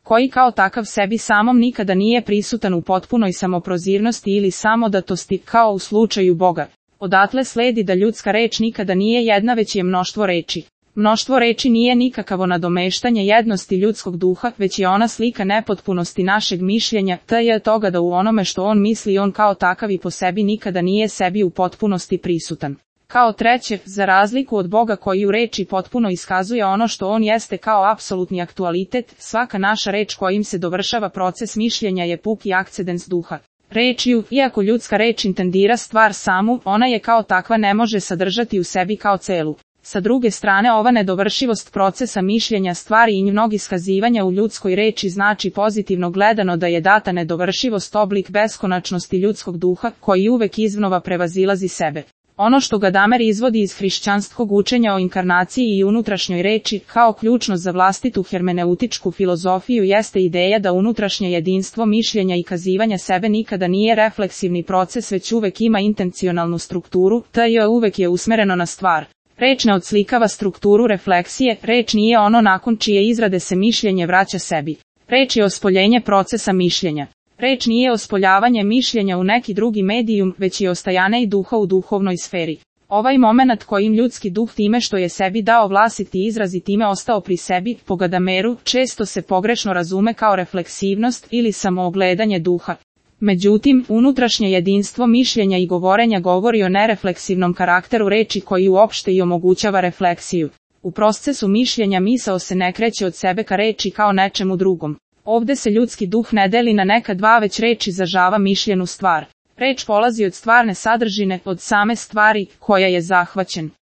koji kao takav sebi samom nikada nije prisutan u potpunoj samoprozirnosti ili samodatosti, kao u slučaju Boga. Odatle sledi da ljudska reč nikada nije jedna, već je mnoštvo reči. Mnoštvo reči nije nikakavo nadomeštanje jednosti ljudskog duha, već je ona slika nepotpunosti našeg mišljenja, t.j. toga da u onome što on misli on kao takav i po sebi nikada nije sebi u potpunosti prisutan. Kao treće, za razliku od Boga koji u reči potpuno iskazuje ono što on jeste kao apsolutni aktualitet, svaka naša reč kojim se dovršava proces mišljenja je puki akcedens duha. Rečju, iako ljudska reč intendira stvar samu, ona je kao takva ne može sadržati u sebi kao celu. Sa druge strane, ova nedovršivost procesa mišljenja stvari i njenog iskazivanja u ljudskoj reči znači pozitivno gledano da je data nedovršivost oblik beskonačnosti ljudskog duha, koji uvek iznova prevazilazi sebe. Ono što Gadamer izvodi iz hrišćanskog učenja o inkarnaciji i unutrašnjoj reči, kao ključno za vlastitu hermeneutičku filozofiju jeste ideja da unutrašnje jedinstvo mišljenja i kazivanja sebe nikada nije refleksivni proces već uvek ima intencionalnu strukturu, t.j. uvek je usmereno na stvar. Reč ne odslikava strukturu refleksije, reč nije ono nakon čije izrade se mišljenje vraća sebi. Reč je ospoljenje procesa mišljenja. Reč nije ospoljavanje mišljenja u neki drugi medijum, već je ostajanje i duha u duhovnoj sferi. Ovaj moment kojim ljudski duh time što je sebi dao vlastiti izraz i time ostao pri sebi, po Gadameru, često se pogrešno razume kao refleksivnost ili samoogledanje duha. Međutim, unutrašnje jedinstvo mišljenja i govorenja govori o nerefleksivnom karakteru reči koji uopšte i omogućava refleksiju. U procesu mišljenja misao se ne kreće od sebe ka reči kao nečemu drugom. Ovde se ljudski duh ne deli na neka dva, već reč izražava mišljenu stvar. Reč polazi od stvarne sadržine, od same stvari koja je zahvaćen.